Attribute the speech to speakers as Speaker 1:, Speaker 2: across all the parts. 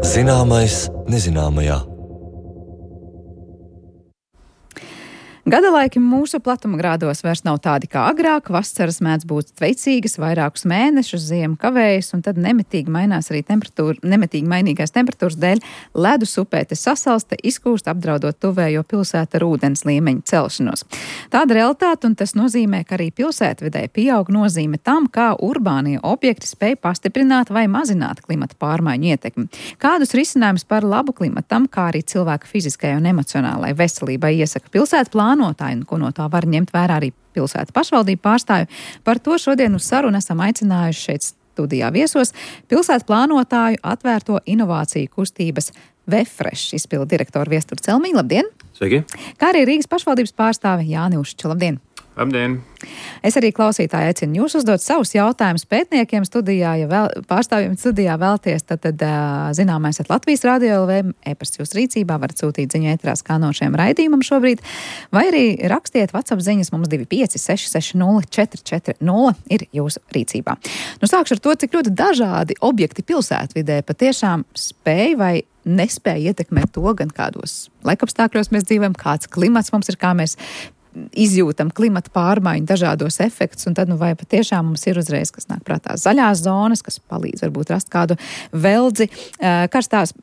Speaker 1: Zināmais nezināmajā.
Speaker 2: Gadalaiki mūsu platumgrādos vairs nav tādi kā agrāk, vasaras mēdz būt veicīgas vairākus mēnešus, ziema kavējas, un tad nemitīgi mainās arī mainīgās temperatūras dēļ ledus upēte sasalsta, izkūst, apdraudot tuvējo pilsētu ar ūdens līmeņa celšanos. Tāda realitāte, un tas nozīmē, ka arī pilsētvidē pieaug nozīme tam, kā urbānie objekti spēj pastiprināt vai mazināt klimata pārmaiņu ietekmi. Kādus risinājumus par labu klimatam, kā arī cilvēka fiziskajai un emocionālai veselībai iesaka pilsētu plānotāji, un ko no tā var ņemt vērā arī pilsētu pašvaldību pārstāvju. Par to šodien uz sarunu esam aicinājuši šeit studijā viesos pilsētu plānotāju atvērto inovāciju kustības Vefresh izpildu direktoru Viesturu Celmiņu. Labdien!
Speaker 3: Sveiki!
Speaker 2: Kā arī Rīgas pašvaldības pārstāve Jāni Ušča. Labdien!
Speaker 3: Labdien!
Speaker 2: Es arī klausītāji aicinu jūs uzdot savus jautājumus pētniekiem studijā, ja pārstāvjiem studijā vēlties, tad zināmais Latvijas Radio LV, e-pasts jūsu rīcībā, varat sūtīt ziņu ēterā skanošiem raidījumam šobrīd, vai arī rakstiet WhatsApp ziņas mums 25660 ir jūsu rīcībā. Nu, sākšu ar to, cik ļoti dažādi objekti pilsētvidē patiešām spēj vai nespēja ietekmēt to, gan kādos laikapstākļos mēs dzīvojam, kāds klimats mums ir, kā mēs izjūtam klimata pārmaiņu dažādos efektus, un tad, vai patiešām mums ir uzreiz, kas nāk prātā zaļās zonas, kas palīdz varbūt rast kādu veldzi karstās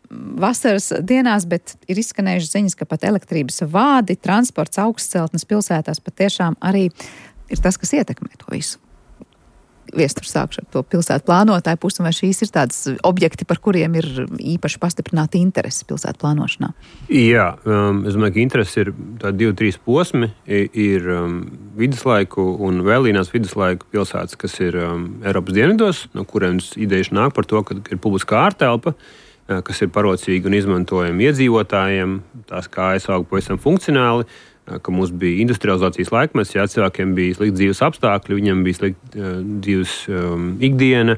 Speaker 2: vasaras dienās, bet ir izskanējušas ziņas, ka pat elektrības vādi, transports, augstceltnes pilsētās patiešām arī ir tas, kas ietekmē to visu. Viestur sākšu ar to pilsētu plānotāju pusi, vai šīs ir tādas objekti, par kuriem ir īpaši pastiprināta interese pilsētu plānošanā?
Speaker 3: Jā, es domāju, ka interese ir tādi 2-3 posmi. Ir viduslaiku un vēlīnās viduslaiku pilsētas, kas ir Eiropas dienvidos, no kuriem idejas nāk par to, ka ir publiskā ārtelpa, kas ir parocīga un izmantojama iedzīvotājiem, tās kājas aug pavisam funkcionāli, ka mums bija industrializācijas laikmets, ja cilvēkiem bija slikti dzīves apstākļi, viņiem bija slikti dzīves ikdiena,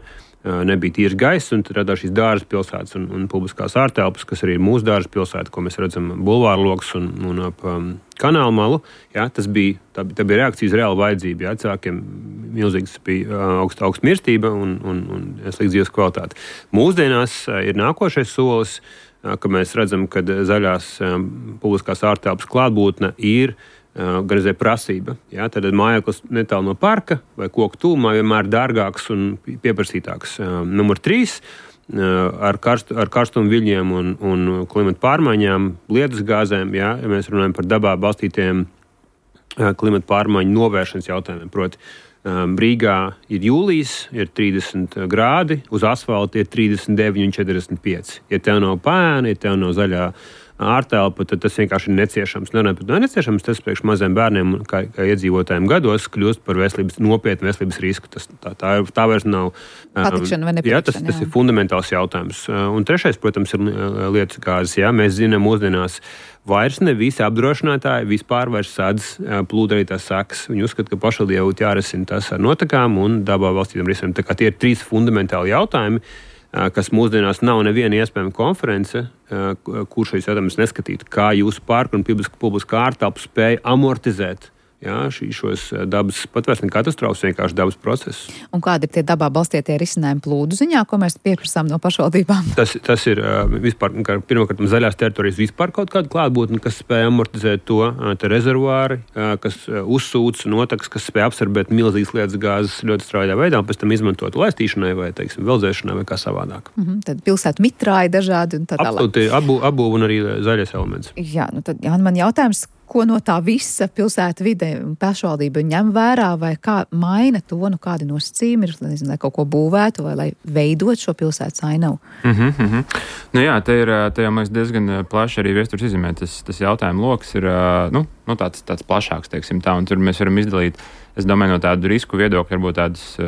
Speaker 3: nebija tīrs gaiss, un tad radās šīs dārza pilsētas un publiskās ārtelpas, kas arī ir mūsu dārza pilsēta, ko mēs redzam bulvāru loks un ap kanālu malu. Ja, tā bija reakcija uz reālu vajadzību. Ja, cilvēkiem milzīgs bija augsta mirstība un slikta dzīves kvalitāte. Mūsdienās ir nākošais solis, ka mēs redzam, ka zaļās publiskās ārtelpas klātbūtne ir gan arī prasība. Ja? Tad mājoklis netālu no parka vai koku tūmā vienmēr dārgāks un pieprasītāks. Numur 3. Ar karstumu viļņiem un klimata pārmaiņām, lietus gāzēm, ja mēs runājam par dabā balstītiem klimata pārmaiņu novēršanas jautājumiem. Proti, Rīgā ir jūlijas, ir 30 grādi, uz asfalta ir 39 un 45. Ja tev nav pēna, ja tev nav zaļā ārtelpa, tad tas vienkārši ir neciešams. Neciešams tas priekš maziem bērniem, kā iedzīvotājiem gados, kļūst par nopietnu veselības risku. Tā vairs nav
Speaker 2: patikšana vai nepatikšana.
Speaker 3: Tas ir fundamentāls jautājums. Un trešais, protams, ir lietus gāzes. Jā. Mēs zinām mūsdienās, vairs ne visi apdrošinātāji vispār vairs sādz plūdarītās sekas. Viņi uzskata, ka pašvaldībai būtu jārisina tas ar notekām un dabā valstītiem risinājumiem. Tā kā tie ir 3 fundamentāli jautājumi, kas mūsdienās nav neviena iespējama konference, kur šīs jautājumus neskatītu. Kā jūsu parka un publiskā ārtelpa spēja amortizēt šos dabas patvērsni katastrofas, vienkārši dabas procesus.
Speaker 2: Un kādi ir tie dabā balstītie risinājumi plūdu ziņā, ko mēs pieprasām no pašvaldībām?
Speaker 3: Tas ir vispār, pirmkārt, zaļās teritorijas vispār kaut kāda klātbūtne, kas spēj amortizēt to, te rezervuāri, kas uzsūc notekas, kas spēj absorbēt milzīgas lietas gāzes ļoti straujā veidā, un pēc tam izmantot laistīšanai vai, veldzēšanai vai kā savādāk.
Speaker 2: Tad pilsētu mitrāji dažādi un tā tālāk.
Speaker 3: Absolūti, abu un arī zaļais elements.
Speaker 2: Jā, tad man jautājums, ko no tā visa pilsētu vide un pašvaldība ņem vērā, vai kā maina to, kādi nosacījumi ir, lai kaut ko būvētu vai lai veidot šo pilsētas ainavu?
Speaker 4: Nu jā, te jau mēs diezgan plaši arī Viesturs izzīmē. Tas jautājumu loks ir tāds plašāks, teiksim tā, un tur mēs varam izdalīt, es domāju, no tādu risku viedokļu varbūt tādus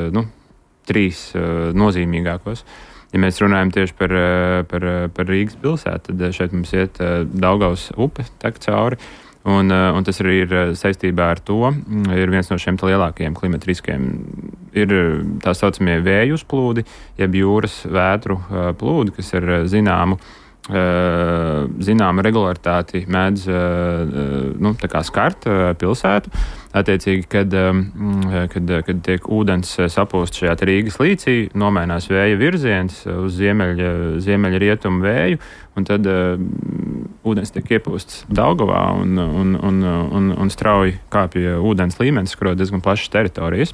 Speaker 4: 3 nozīmīgākos. Ja mēs runājam tieši par Rīgas pilsētu, tad šeit mums iet Daugavas upe tek cauri. Un tas arī ir saistībā ar to, ir viens no šiem lielākajiem klimata riskiem. Ir tā saucamie vēju uzplūdi, jeb jūras vētru plūdi, kas ir zināma regularitāti mēdz skart pilsētu. attiecīgi, kad tiek ūdens sapūst šajā Rīgas līcī, nomainās vēja virziens uz ziemeļa rietumu vēju, un tad ūdens tiek iepūsts Daugavā un strauji kāpja ūdens līmenis, kur diezgan plašas teritorijas.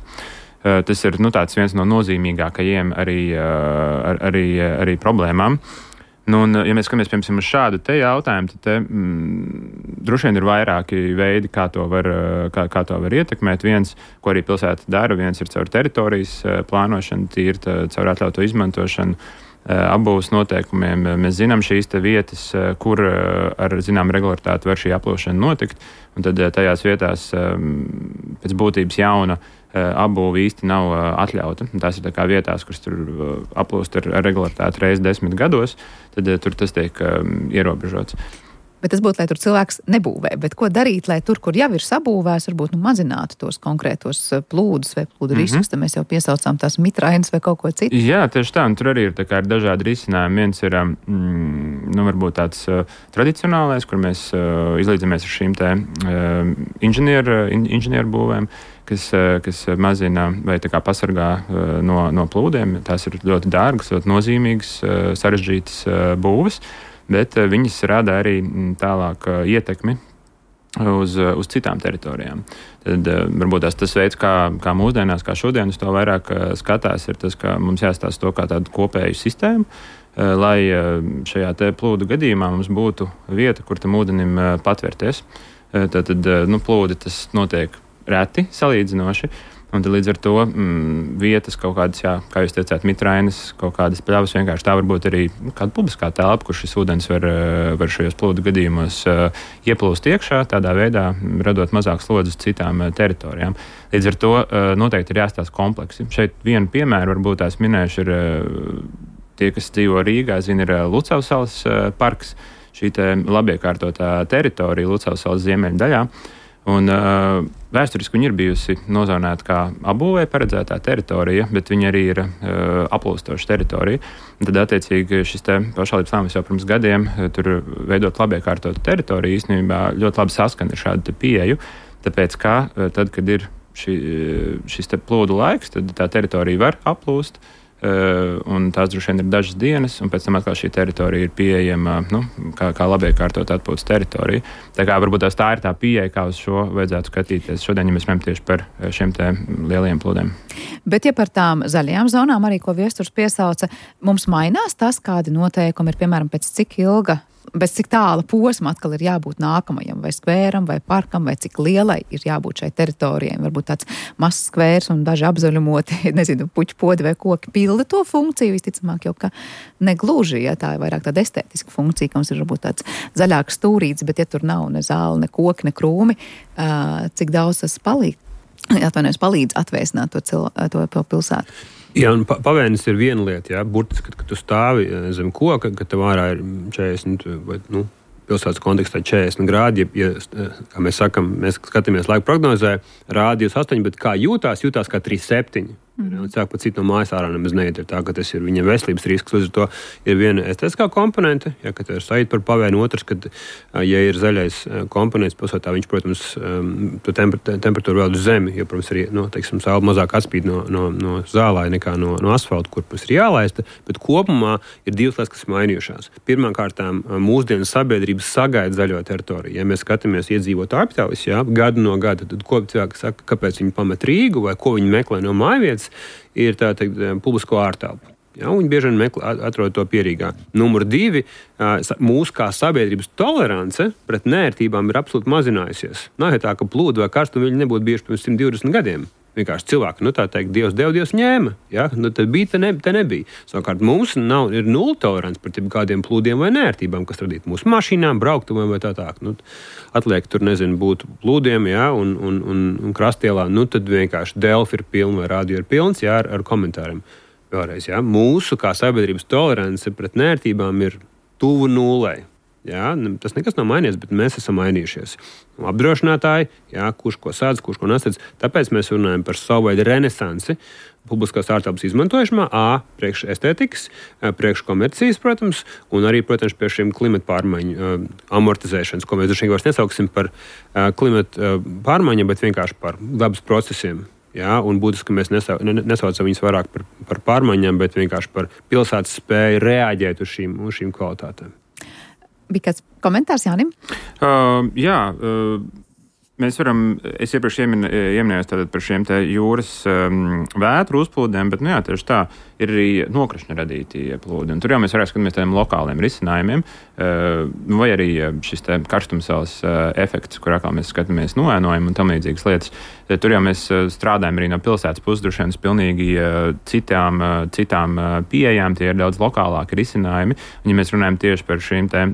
Speaker 4: Tas ir tāds viens no nozīmīgākajiem arī problēmām. Un, ja mēs skatāmies, piemēram, uz šādu te jautājumu, tad droši vien ir vairāki veidi, kā to var ietekmēt. Viens, ko arī pilsēta dara, viens ir caur teritorijas plānošanu, tīri caur atļautu izmantošanu, apbūves noteikumiem. Mēs zinām šīs te vietas, kur ar zinām regularitāti var šī aplūšana notikt, un tad tajās vietās pēc būtības jauna apbūve īsti nav atļauta. Tās ir tā kā vietās, kuras tur aplūst ar regularitāti reizi 10 gados, tad tur tas tiek ierobežots.
Speaker 2: Bet tas būtu, lai tur cilvēks nebūvē. Bet ko darīt, lai tur, kur jau ir sabūvēts, varbūt mazinātu tos konkrētos plūdus vai plūdu riskus? Tad mēs jau piesaucām tās mitrainas vai kaut ko citu. Jā,
Speaker 4: tieši tā. Un tur arī ir dažādi risinājumi. Viens ir varbūt tāds tradicionālais, kur mēs izlīdzamies ar šīm te inženieru būvēm, kas mazina vai pasargā no plūdiem. Tās ir ļoti dārgas, ļoti nozīmīgas, sarežģītas būves. Bet viņas rada arī tālāk ietekmi uz citām teritorijām. Tad varbūt tas veids, kā mūsdienās, kā šodien uz to vairāk skatās, ir tas, ka mums jāstāsta to kā tādu kopēju sistēmu, lai šajā te plūdu gadījumā mums būtu vieta, kur tam ūdenim patvērties. Tad plūdi tas notiek reti salīdzinoši. Un tad līdz ar to vietas kaut kādas, kā jūs teicāt, mitrainas, kaut kādas pļavas, vienkārši tā var būt arī kāda publiskā telpa, kur šis ūdens var šajos plūdu gadījumos ieplūst iekšā, tādā veidā radot mazāk slodzes citām teritorijām. Līdz ar to noteikti ir jāstāsta kompleksi. Šeit vienu piemēru varbūt tās minējuši ir tie, kas dzīvo Rīgā, ir Lucavas salas parks, šī te labiekārtotā teritorija Lucavas salas ziemeļu daļā. Un vēsturiski viņi ir bijusi nozonēta kā apbūvē paredzētā teritorija, bet viņi arī ir aplūstoša teritorija. Un tad, attiecīgi, šis te pašvaldības lēmums jau pirms gadiem tur veidot labiekārtotu teritoriju īstenībā ļoti labi saskana ar šādu pieeju, tāpēc, ka tad, kad ir šis te plūdu laiks, tad tā teritorija var aplūst, un tās droši vien ir dažas dienas, un pēc tam atkal šī teritorija ir pieejama kā labiekārtot atpūtas teritorija. Tā kā varbūt tā ir tā pieeja, kā uz šo vajadzētu skatīties šodien, ja mēs runājam tieši par šiem te lieliem plūdiem.
Speaker 2: Bet ja par tām zaļajām zonām arī, ko Viesturs piesauca, mums mainās tas, kādi noteikumi ir, piemēram, pēc cik tāla posma atkal ir jābūt nākamajam, vai skvēram, vai parkam, vai cik lielai ir jābūt šai teritorijai. Varbūt tāds mazs skvērs un daži apzaļumoti, puķu podi vai koki pilda to funkciju, visticamāk jau, ka negluži, ja tā ir vairāk tāda estētiska funkcija, ka mums ir varbūt tāds zaļāks stūrīts, bet ja tur nav ne zāle, ne koki, ne krūmi, cik daudz tas palīdz atvēsināt to pilsētu.
Speaker 3: Jā, un pavēnis ir viena lieta, burtiski, kad tu stāvi zem koka, ka tev ārā ir 40 vai, pilsētas kontekstā 40 grādi, kā mēs sakam, mēs skatāmies laika prognozē, rādījus 8, bet kā jūtās kā 3,7. Un cilvēki pat citi no mājas ārā nemaz neiet, ir tā, ka tas ir viņam veselības risks. Līdz ar to ir viena estētiskā komponente, ka te ir sajūta par pavēnu. Otrs, kad, ja ir zaļais komponents pilsētā, viņš, protams, to temperatūru vēl uz zemi, jo, protams, arī, saule mazāk atspīd no zālāja nekā no asfalta, kur mums ir jālaista, bet kopumā ir divas lietas, kas mainījušās. Pirmkārtām, mūsdienas sabiedrības sagaida zaļo teritoriju. Ja mēs skatāmies iedzīvotāju aptaujas, gadu no gada, tad ko cilvēki saka, kāpēc viņi pamet Rīgu vai ko viņi meklē no mājvietas, ir tā teikt publisko ārtelpu. Viņi bieži vien atrod to pierīgā. Numur 2, mūsu kā sabiedrības tolerance pret nērtībām ir absolūti mazinājusies. Nav jau tā, ka plūdu vai karstumu viņi nebūtu bijuši pirms 120 gadiem. Vienkārši cilvēki, tā teikt, Dievs deva, Dievs ņēma. Tad bija, te nebija. Savukārt mums ir nulle tolerants pret kādiem plūdiem vai nērtībām, kas radītu mūsu mašīnām, brauktumiem vai tā. Atliek tur, būt plūdiem, un krastielā, tad vienkārši Delfi ir pilna vai radio ir pilns, ar komentāriem. Vēlreiz, mūsu kā sabiedrības tolerance pret nērtībām ir tuvu nullei. Tas nekas nav mainījies, bet mēs esam mainījušies. Apdrošinātāji, kurš ko sādz, kurš ko nesadz. Tāpēc mēs runājam par savu veidu renesansi. publiskās ārtelpas izmantošanā, priekš estētikas, priekš komercijas, protams, un arī, protams, pie šiem klimata pārmaiņu amortizēšanas, ko mēs droši vien vairs nesauksim par klimata pārmaiņām, bet vienkārši par dabas procesiem. Jā, un būtiski mēs nesaucam viņus vairāk par pārmaiņām, bet vienkārši par pilsētas spēju reaģēt uz šīm kvalitātēm.
Speaker 2: Bija kāds komentārs Jānim?
Speaker 4: Mēs varam, es iepriekš ieminējos tātad par šiem te jūras vētru uzplūdiem, bet, tieši tā, ir arī nokrišņa radīti plūdi. Un tur jau mēs varētu skatīties tādiem lokāliem risinājumiem, vai arī šis te karstumsēlas efekts, kur atkal mēs skatāmies noēnojumu un tam līdzīgas lietas. Tur jau mēs strādājam arī no pilsētas puses, droši vien pilnīgi citām pieejām, tie ir daudz lokālāki risinājumi. Un, ja mēs runājam tieši par šīm te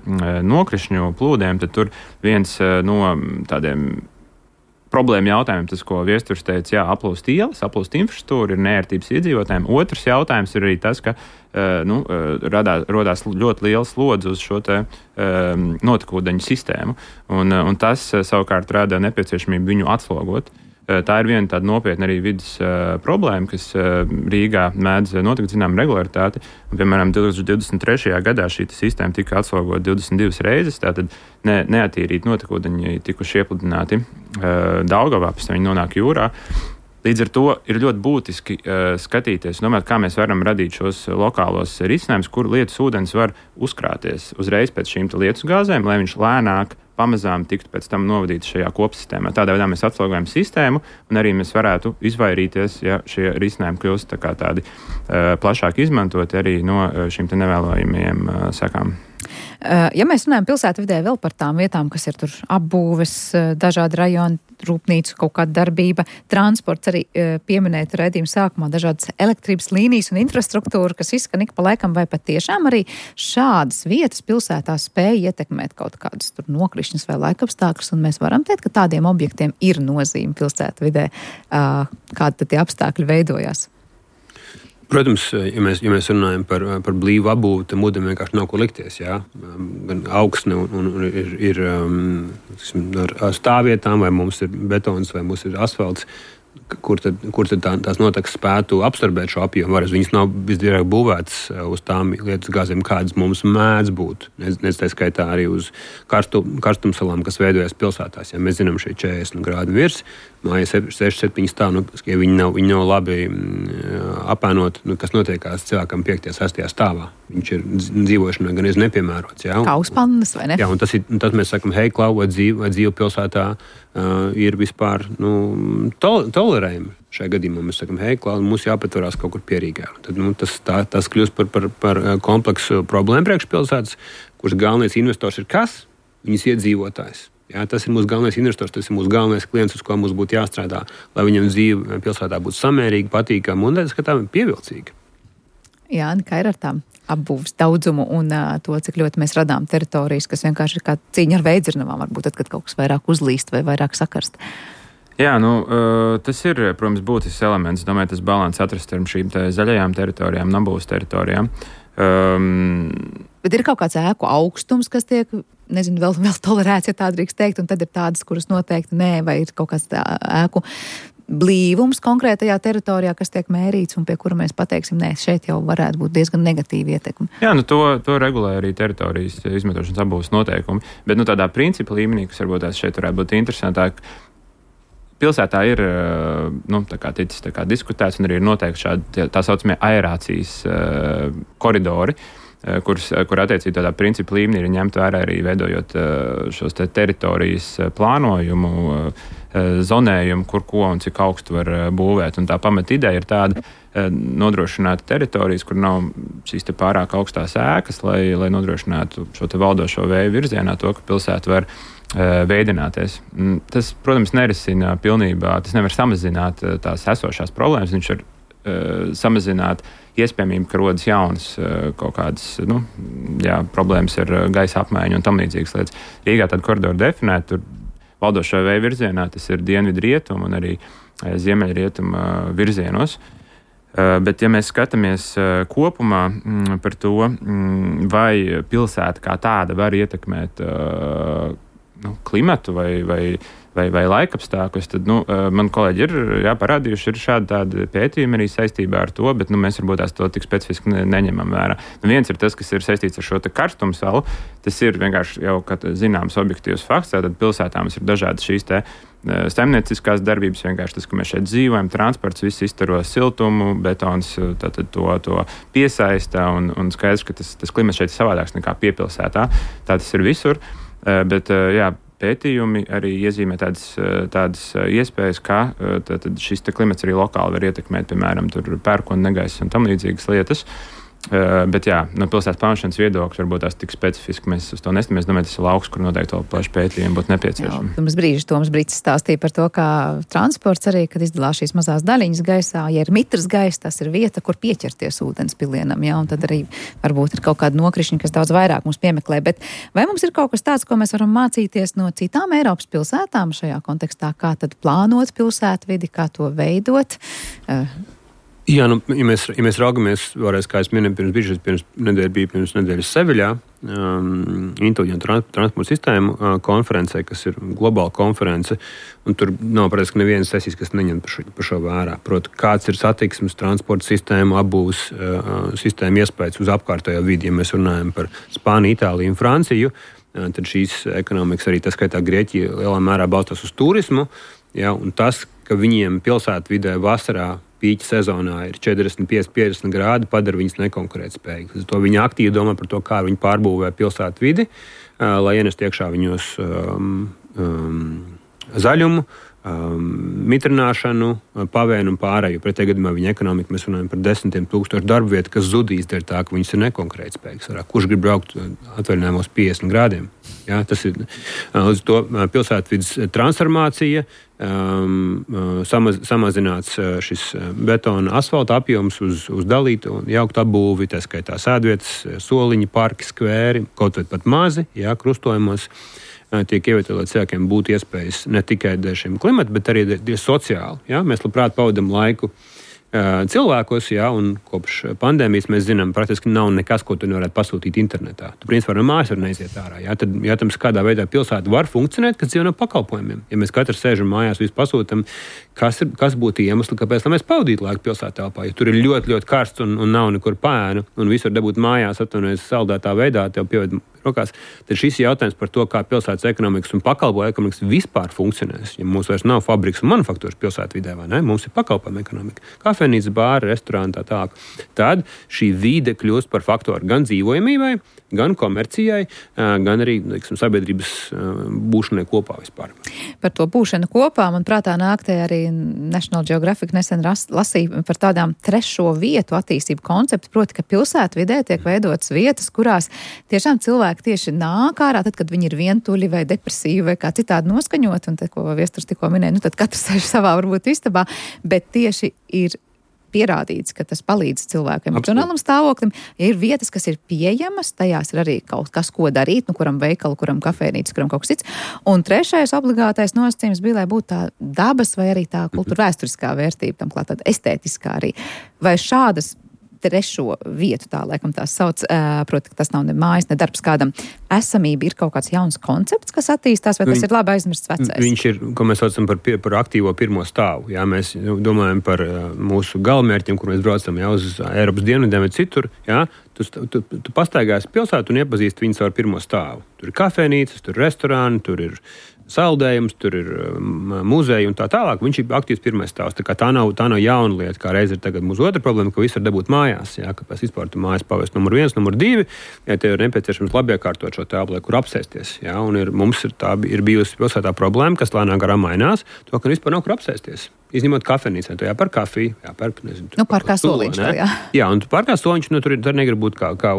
Speaker 4: nokrišņu plūdiem, tad tur viens no tādiem problēma jautājumiem, tas, ko Viesturs teica, aplūst ielas, aplūst infrastruktūru, ir neērtības iedzīvotājiem. Otrs jautājums ir arī tas, ka rodās ļoti liels slodzi uz šo te notekūdeņu sistēmu, un tas savukārt rada nepieciešamību viņu atslogot. Tā ir viena tāda nopietna arī vidas problēma, kas Rīgā mēdz notikt zinām regularitāti. Piemēram, 2023. gadā šī sistēma tika atslogota 22 reizes, tātad neatīrīti notekūdeņi tikuši iepludināti Daugavā, pēc tam viņi nonāk jūrā. Līdz ar to ir ļoti būtiski skatīties un domāt, kā mēs varam radīt šos lokālos risinājumus, kur lietus ūdens var uzkrāties uzreiz pēc šīm lietus gāzēm, lai viņš lēnāk pamazām tiktu pēc tam novadīts šajā kopsistēmā. Tādā veidā mēs atslogojam sistēmu un arī mēs varētu izvairīties, ja šie risinājumi kļūst tādi plašāk izmantoti arī no šīm te nevēlojamajiem sekām.
Speaker 2: Ja mēs runājam pilsētvidē vēl par tām vietām, kas ir tur apbūves, dažādi rajoni, rūpnīcu, kaut kāda darbība, transports, arī pieminēt raidījuma sākumā dažādas elektrības līnijas un infrastruktūra, kas izskan ik pa laikam, vai pat tiešām arī šādas vietas pilsētā spēja ietekmēt kaut kādas tur nokrišņas vai laikapstākļus, un mēs varam teikt, ka tādiem objektiem ir nozīme pilsētvidē, kādi tad tie apstākļi veidojās.
Speaker 3: Protams, ja mēs runājam par blīvu apbūvi, tad mūdam vienkārši nav ko likties. Jā? Gan augsne un ir ar stāvvietām, vai mums ir betons, vai mums ir asfalts, kur tad tās notekas spētu absorbēt šo apjomu. Viņas nav visdrīzāk būvētas uz tām lietas gāzēm, kādas mums mēdz būt. Nec tā skaitā arī uz karstumsalām, kas veidojas pilsētās. Ja mēs zinām šie 40 grādi virs, māja 6-7 stāv, ja viņi nav labi apēnot, kas notiekās cilvēkam 5-6 stāvā. Viņš ir dzīvošanai gan nepiemērots. Ja?
Speaker 2: Kā uzpannas, vai ne?
Speaker 3: Jā, un tas mēs sakam, hei, klau, vai dzīve pilsētā ir vispār tolerējami. Šajā gadījumā mēs sakam, hei, klau, mums jāpatvarās kaut kur pierīgā. Tad tas kļūst par kompleksu problēmu priekšpilsētas, kuras galvenais investors ir kas? Viņas iedzīvotājs. Jā, tas ir mūsu galvenais investors, tas ir mūsu galvenais klients, uz ko mums būtu jāstrādā, lai viņam dzīve pilsētā būtu samērīga, patīkama un skatām pievilcīga.
Speaker 2: Jā, kā ir ar tām apbūves daudzumu un to, cik ļoti mēs radām teritorijas, kas vienkārši ir kā cīņa ar veidzirnavām, varbūt tad, kad kaut kas vairāk uzlīst vai vairāk sakarst.
Speaker 4: Jā, tas ir, protams, būtisks elements. Domāju, tas balans atrast ar šīm zaļajām teritorijām, apbūves teritorijām.
Speaker 2: Bet ir kaut kāds ēku augstums, kas tiek, nezinu, vēl tolerēts, ja tā drīkst teikt, un tad ir tādas, kuras noteikti nē, vai ir kaut kāds ēku blīvums konkrētajā teritorijā, kas tiek mērīts un pie kura mēs pateiksim, nē, šeit jau varētu būt diezgan negatīva ietekme.
Speaker 4: Jā, to regulē arī teritorijas izmantošanas apbūves noteikumi, bet tādā principa līmenī, kas varbūt šeit varētu būt interesantāk, pilsētā ir ticis diskutēts un arī ir noteikti šādi tā saucamie aerācijas koridori, kur attiecīgi tādā principa līmenī ir ņemt vērā arī veidojot šos teritorijas plānojumu, zonējumu, kur ko un cik augstu var būvēt. Un tā pamata ideja ir tāda nodrošināt teritorijas, kur nav šīs pārāk augstās ēkas, lai nodrošinātu šo valdošo vēju virzienā to, ka pilsēta var veidināties. Tas, protams, nerisina pilnībā, tas nevar samazināt tās esošās problēmas, viņš var samazināt iespējamību, ka rodas jaunas kaut kādas problēmas ar gaisa apmaiņu un tam līdzīgas lietas. Rīgā tādu koridoru definēt, tur valdošā vēja virzienā tas ir dienvidu rietumu un arī ziemeļrietumu virzienos. Bet, ja mēs skatāmies kopumā par to, vai pilsēta kā tāda var ietekmēt klimatu vai laikapstākļus, tad man kolēģi ir parādījuši šādi tādi pētījumi arī saistībā ar to, bet mēs varbūt to tik specifiski neņemam vērā. Viens ir tas, kas ir saistīts ar šo karstumu salu. Tas ir vienkārši jau zināms objektīvs fakts. Tātad pilsētā mums ir dažādas šīs saimnieciskās darbības, vienkārši tas, ka mēs šeit dzīvojam, transports, viss izstaro siltumu, betons to piesaista un skaidrs, ka tas klimats šeit ir savādāks nekā piepilsētā. Tā tas ir visur, bet pētījumi arī iezīmē tādas iespējas, ka šis klimats arī lokāli var ietekmēt, piemēram, pērkona negaisa un tam līdzīgas lietas. Bet no pilsētas plānošanas viedokļa varbūt tās tik specifiski mēs uz to nestamies. Domāju, tas ir lauks, kur noteikti vēl plaši pētījumi būtu nepieciešami.
Speaker 2: Toms Brītis stāstīja par to, kā transports arī, kad izdalās šīs mazās daļiņas gaisā, ja ir mitrs gaisa, tas ir vieta, kur pieķerties ūdens pilienam, un tad arī varbūt ir kaut kāda nokrišņa, kas daudz vairāk mums piemeklē. Bet vai mums ir kaut kas tāds, ko mēs varam mācīties no citām Eiropas pilsētām šajā kontekstā, kā tad plānot pilsētvidi, kā to veidot?
Speaker 3: Jā, ja mēs raugamies, vēlreiz, kā es minēju, pirms nedēļas Seviļā, inteliģentu transporta sistēmu konferencē, kas ir globāla konference, un tur nav praktiski nevienas sesijas, kas neņem par šo vērā. Proti, kāds ir satiksmes transporta sistēmu, apbūves sistēmu iespējas uz apkārtējo vidi. Ja mēs runājam par Spāniju, Itāliju un Franciju, tad šīs ekonomikas, arī tā skaitā Grieķija, lielā mērā balstās uz turismu, un tas, ka viņiem pilsētvidē vasarā pīķa sezonā ir 45-50 grādi, padara viņus nekonkurētspējīgus. To viņi aktīvi domā par to, kā viņi pārbūvē pilsētu vidi, lai ienest iekšā viņos zaļumu, mitrināšanu, pavēnu un pārēju. Pretējā gadījumā viņa ekonomika, mēs runājam par 10,000 darba vietu, kas zudīs dēļ tā, ka viņas ir nekonkurētspējīgas. Kurš grib braukt atvaļinājumos 50 grādiem? Jā, tas ir līdz to pilsētvides transformācija, samazināts šis betona asfalta apjoms uz dalītu un jauktu apbūvi, tā skaitā sēdvietas, soliņi, parki, skvēri, kaut vai pat mazi, krustojumos tiek ievietoti, lai cilvēkiem būtu iespējas ne tikai dēļ šiem klimata, bet arī dēļ sociāli. Ja? Mēs labprāt pavadam laiku cilvēkos, un kopš pandēmijas mēs zinām, praktiski nav nekas, ko tu nevarētu pasūtīt internetā. Tu principā no mājas var neiziet ārā. Tad, jautājums, kādā veidā pilsēta var funkcionēt, kas dzīvo no pakalpojumiem. Ja mēs katrs sēžam mājās, visu pasūtam, kas būtu iemesli, kāpēc mēs pavadītu laiku pilsētā telpā. Ja tur ir ļoti, ļoti karsts un nav nekur pēnu, un visu var dabūt mājās, atvainojas saldētā veidā, tev pieved rokās, tad šis jautājums par to, kā pilsētas ekonomikas un pakalpojumu ekonomikas vispār funkcionēs. Ja mums vairs nav fabrikas un manufaktūras pilsētvidē, vai ne? Mums ir pakalpojumu ekonomika. Kafejnīca, bāri, restorāni, tā tālāk. Tad šī vide kļūst par faktoru gan dzīvojamībai, gan komercijai, gan arī, sabiedrības būšanai kopā vispār.
Speaker 2: Par to būšanu kopā, man prātā nāk te arī National Geographic nesen lasīja par tādām trešo vietu attīstību konceptu, proti, ka pilsētvidē tiek veidotas vietas, kurās tiešām cilvēki tieši nāk ārā, tad, kad viņi ir vientuļi vai depresīvi vai kā citādi noskaņot, un te, ko Viesturs tikko minēja, tad katrs sēž savā varbūt istabā, bet tieši ir pierādīts, ka tas palīdz cilvēkiem emocionālam stāvoklim. Ja ir vietas, kas ir pieejamas, tajās ir arī kaut kas, ko darīt, kuram veikalu, kuram kafejnīca, kuram kaut kas cits. Un trešais obligātais nosacījums bija, lai būtu tā dabas vai arī tā kultūra vēsturiskā vērtība, tam klāt tāda estētiskā arī. Vai šādas trešo vietu, tā laikam tās sauc, proti, ka tas nav ne mājas, ne darbs kādam. Esamība ir kaut kāds jauns koncepts, kas attīstās, vai tas ir labi aizmirsts vecais? Viņš
Speaker 3: ir, ko mēs saucam par aktīvo pirmo stāvu. Jā, mēs domājam par mūsu galamērķiem, kur mēs braucam uz Eiropas dienvidiem vai citur. Jā. Tu pastaigāsi pilsētu un iepazīsti viņus ar pirmo stāvu. Tur ir kafejnīcas, tur ir restorāni, tur ir saldējums, tur ir muzeja un tā tālāk. Viņš ir aktīvs pirmais stāvs. Tā nav jauna lieta, kā reiz ir tagad mūsu otra problēma, ka viss var dabūt mājās. Jā, kāpēc vispār tu mājas pavest numur 1, numur 2, ja tev ir nepieciešams labi iekārtot šo telpu, kur apsēsties. Jā, un mums ir bijusi pilsētā problēma, kas lēnām garām mainās, to, ka vispār nav kur apsēsties. Izņemot kafejnīcā, tu jāpērk kafiju, jāpērk, nezinu.
Speaker 2: Pārkā soliņš, jā.
Speaker 3: Jā, un tu pārkā soliņš, tur negrib būt kā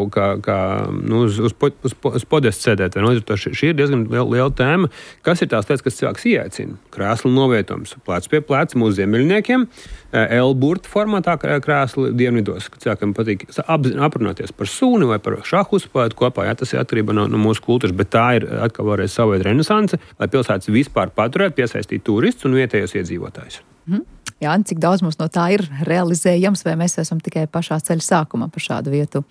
Speaker 3: uz podestu sēdēt. Šī ir diezgan liela tēma. Kas ir tās lietas, kas cilvēks ieaicina? Krēslu novietojums, plec pie pleca mūsu ziemeļniekiem, L-burta formātā krēsli dienvidos, ka cilvēkam patīk aprunāties par sūni vai par šahu uzspēlēt kopā. Jā, tas ir atkarība no mūsu kultūras, bet tā ir atkal vēlreiz savu veidu renesanse, lai pilsētas vispār paturētu, piesaistīt turistus un vietējos iedzīvotājus.
Speaker 2: Jā, cik daudz mums no tā ir realizējams, vai mēs esam tikai pašā ceļa sākumā par šādu vietu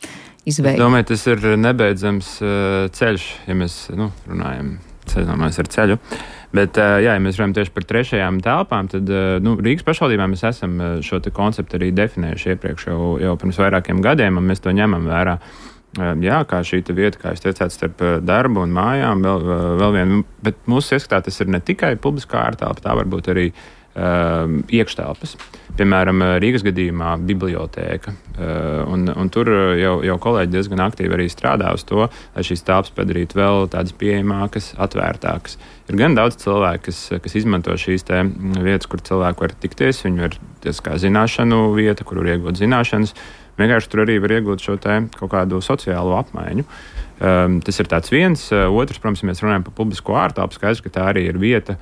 Speaker 2: izveidi?
Speaker 4: Es domāju, tas ir nebeidzams ceļš, ja mēs runājam sezonās ar ceļu. Bet, ja mēs runājam tieši par trešajām telpām, tad Rīgas pašvaldībā mēs esam šo te konceptu arī definējuši iepriekš jau pirms vairākiem gadiem, un mēs to ņemam vērā. Jā, kā šī vieta, kā jūs teicāt, starp darbu un mājām, vēl vien, bet mūsu ieskatā tas ir ne tikai publiskā ārtelpa, tā varbūt arī iekštelpas. Piemēram, Rīgas gadījumā bibliotēka. Un tur jau kolēģi diezgan aktīvi arī strādā uz to, lai šīs telpas padarītu vēl tādas pieejamākas, atvērtākas. Ir gan daudz cilvēku, kas izmanto šīs vietas, kur cilvēki var tikties, viņi var kā zināšanu vieta, kur var iegūt zināšanas. Vienkārši tur arī var iegūt šo kaut kādu sociālo apmaiņu. Tas ir tāds viens. Otrs, protams, ja mēs runājam par publisko ārtelpu, skaidrs, ka tā arī ir vieta,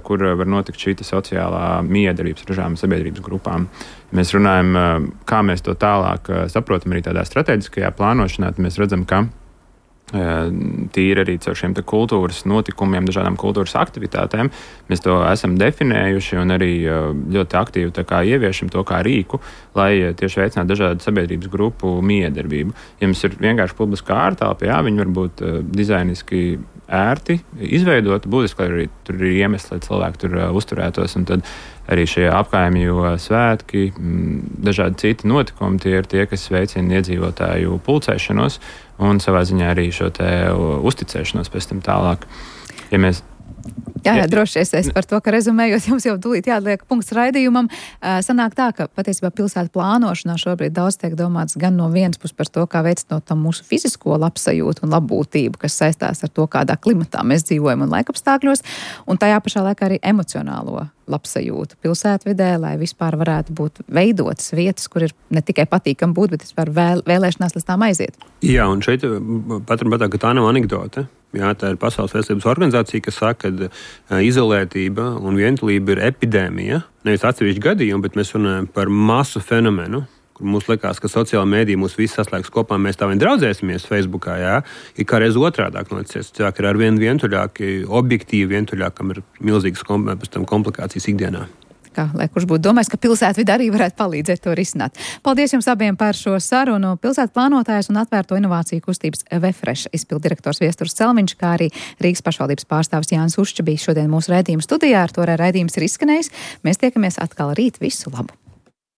Speaker 4: kur var notikt šī sociālā miedarbības ražām sabiedrības grupām. Ja mēs runājam, kā mēs to tālāk saprotam arī tādā strateģiskajā plānošanā, tad mēs redzam, ka tīri arī caur šiem kultūras notikumiem, dažādām kultūras aktivitātēm. Mēs to esam definējuši un arī ļoti aktīvi ieviešam to kā rīku, lai tieši veicinātu dažādu sabiedrības grupu miedarbību. Ja mums ir vienkārši publiskā ārtelpa, jā, viņi var būt dizainiski ērti izveidot, būtiski arī tur ir iemesli, lai cilvēki tur uzturētos, un tad arī šie apkaimju svētki, dažādi citi notikumi, tie ir tie, kas veicina iedzīvotāju pulcēšanos un savā ziņā arī šo uzticēšanos pēc tam tālāk. Ja mēs
Speaker 2: Jā, droši es par to, ka rezumējot, jums jau tūlīt jāatliek punkts raidījumam. Sanāk tā, ka patiesībā pilsētu plānošanā šobrīd daudz tiek domāts gan no vienas puses par to, kā veicinot tam mūsu fizisko labsajūtu un labbūtību, kas saistās ar to, kādā klimatā mēs dzīvojam un laikapstākļos, un tajā pašā laikā arī emocionālo labsajūtu pilsētvidē, lai vispār varētu būt veidotas vietas, kur ir ne tikai patīkam būt, bet vispār vēlēšanās līdz tām aiziet.
Speaker 3: Jā, un šeit patrat, ka tā nav anekdote. Jā, tā ir Pasaules veselības organizācija, kas saka, ka izolētība un vientulība ir epidēmija. Nevis atsevišķi gadījumi, bet mēs runājam par masu fenomenu, kur mums likās, ka sociāla mēdīja mūs visus saslēgs kopā, mēs tā vien draudzēsimies Facebookā, jā, ir kā reiz otrādāk noticies. Cilvēki ir ar vien vientuļāki, objektīvi vientuļāki, kam ir milzīgas komplikācijas ikdienā.
Speaker 2: Lai kurš būtu domājis, ka pilsētvide arī varētu palīdzēt to risināt. Paldies jums abiem par šo sarunu. Pilsētu plānotājs un atvērto inovāciju kustības Vefresh izpilddirektors Viesturs Celmiņš, kā arī Rīgas pašvaldības pārstāvis Jānis Ušķa bija šodien mūsu raidījuma studijā. Ar to raidījums ir izskanējis. Mēs tiekamies atkal rīt. Visu labu!